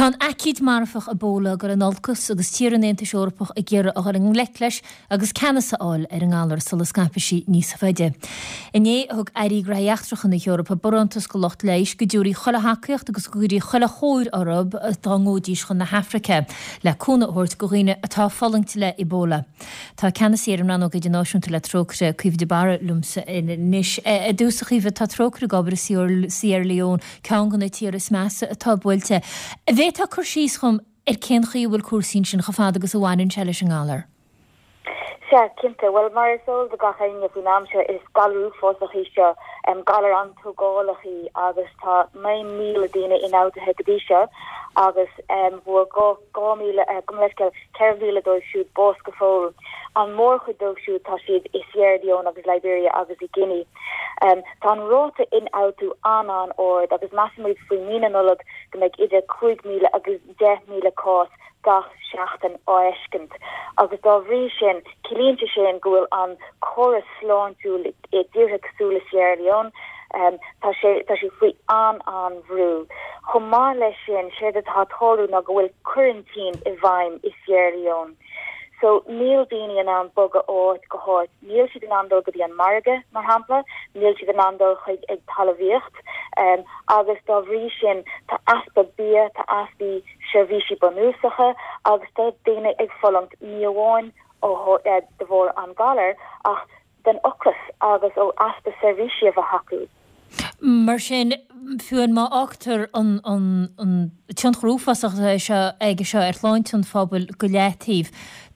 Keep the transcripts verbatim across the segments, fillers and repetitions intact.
Tá an aicíd marfach Ebola ag dul in olcas agus tíortha an Aontais Eorpaigh ag iarraidh a dhul i ngleic leis agus ceannas a fháil ar an ngalar sula scaipfidh sí níos faide. Inné thug Airí Gnóthaí Eachtracha na hEorpa barántas do lucht leighis go dtabharfaí chuile thacaíocht agus go gcuirfí chuile chóir orthu dá ngabhaidís chun na hAfraice le cúnamh a thabhairt do dhaoine atá ag fulaingt le Ebola. Tá ceannasaí ar an rannóg idirnáisiúnta le Trócaire, Caoimhe de Barra liomsa anois. I dtús a Chaoimhe, tá Trócaire ag obair i Sierra Leone, ceann de na tíortha is measa atá buailte. An bhféadfá cur síos dhom ar cén chaoi a bhfuil cúrsaí ansin chomh fada agus a bhaineann sé leis an ngalar? Sea, cinnte. Bhuel, mar is eol do gach éinne faoin am seo, is galar uafásach í seo, galar an-tógálach í agus tá naoi míle daoine ionfhabhtaithe go dtí seo agus fuair dhá, dhá míle, gabh mo leithscéal, ceithre mhíle dóibh siúd bás go fóill. An mhórchuid dóibh siúd tá siad i Sierra Leone agus Liberia agus i Guinea. Tá an ráta ionfhabhtú an-an-ard agus measaimid faoi mhí na Nollag go mbeidh idir cúig mhíle agus deich míle cás gach seachtain á fheiscint agus dá bhrí sin ciallaíonn sé sin go bhfuil an córas sláintiúil i dtíortha cosúil le Sierra Leone, tá sé tá sé faoi an-an-bhrú. Chomh maith leis sin, séard atá ag tarlú ná go bhfuil coraintín i bhfeidhm i Sierra Leone. So, níl daoine in ann bogadh ó áit go háit. Níl siad in ann dul go dtí an margadh, mar shampla, níl siad in ann dul chuig ag talmhaíocht, agus dá bhrí sin tá easpa bia, tá easpa seirbhísí bunúsacha agus tá daoine ag fulaingt ní amháin ó de bharr an galair ach den ocras agus ó easpa seirbhísí a bheith acu. Mar sin, fiú má fhágtar an tionchar uafásach atá seo aige seo ar shláinte an phobail go leataobh,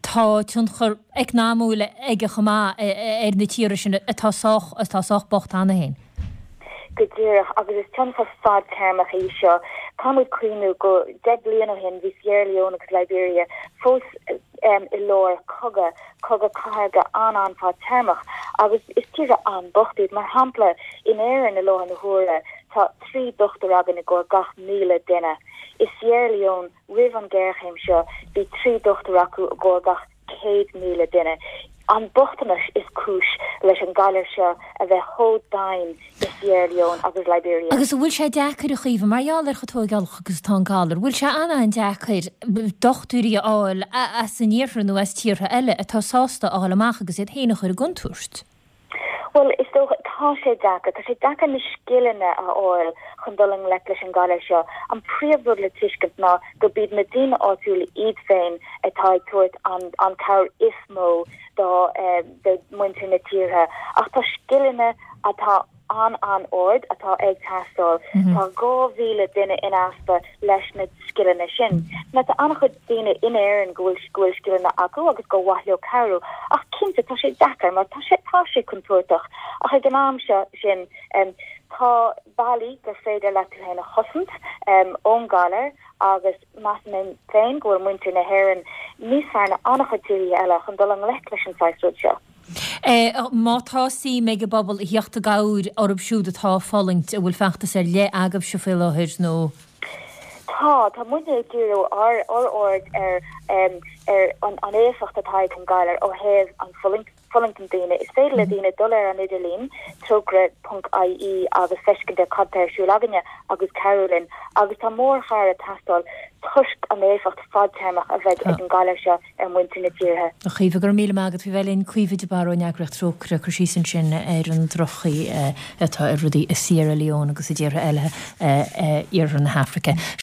tá tionchar eacnamúil aige chomh maith ar na tíortha sin atá sách, atá sách bocht cheana féin. Go díreach, agus is tionchar fadtéarmach í seo. Caithfimid cuimhniú go deich bliain ó shin bhí Sierra Leone agus Liberia fós i lár cogadh, cogadh cathartha an-an-fhadtéarmach agus is tíortha an-bocht iad. Mar shampla, in Éirinn i láthair na huaire tá trí dochtúir againn i gcomhair gach míle duine. I Sierra Leone roimh an ghéarchéim seo bhí trí dochtúir acu i gcomhair gach céad míle duine. An bochtanas is cúis leis an galar seo a bheith chomh domhain i Sierra Leone agus Liberia. Agus an bhfuil sé deacair, a Chaoimhe, mar gheall ar chomh tógálach agus atá an galar, bhfuil sé an-an-deacair dochtúirí a fháil as an iarthar nó as tíortha eile atá sásta a dhul amach agus iad féin a chur i gcontúirt? Bhuel, is dócha, tá sé deacair. Tá sé deacair na scileanna a fháil chun dul i ngleic leis an galar seo. An príomhrud le tuiscint ná gurb iad na daoine áitiúla iad féin atá ag tabhairt an an cabhair is mó do do mhuintir na tíortha. Ach tá scileanna atá an-an-ard atá ag teastáil. Tá dhá mhíle duine in easpa leis na scileanna sin. Now tá an-chuid daoine in Éirinn go bhfuil go bhfuil scileanna acu agus gur mhaith leo cabhrú ach cinnte tá sé deacair mar tá sé tá sé contúirteach ach ag an am seo sin tá bealaí gur féidir leat tú féin a chosaint ón galar agus measaim féin go bhfuil muintir na hÉireann níos fearr ná an-chuid tíortha eile chun dul i ngleic leis an saghas rud seo. Má tá suim ag an bpobal a theacht i gcabhair orthu siúd atá ag fulaingt, an bhfuil feachtas ar leith agaibhse faoi láthair nó? Tá, tá muidne ag díriú ár aird ar ar an éifeacht atá ag an galar ó thaobh an fulaingt, fulaingt na ndaoine. Is féidir le daoine dul ar an idirlíon, trócaire ponc ie agus feiscint ar cad tá ar siúl againne agus cabhrú linn. Agus tá mórchabhair ag teastáil toisc an éifeacht fadtéarmach a bheidh ag an galar seo ar mhuintir na tíortha. A Chaoimhe, go raibh míle maith agat faoi bheith linn. Caoimhe de Barra ón eagraíocht Trócaire ag cur síos ansin ar an droch-chaoi atá ar rudaí i Sierra Leone agus i dtíortha eile i iarthar na hAfraice.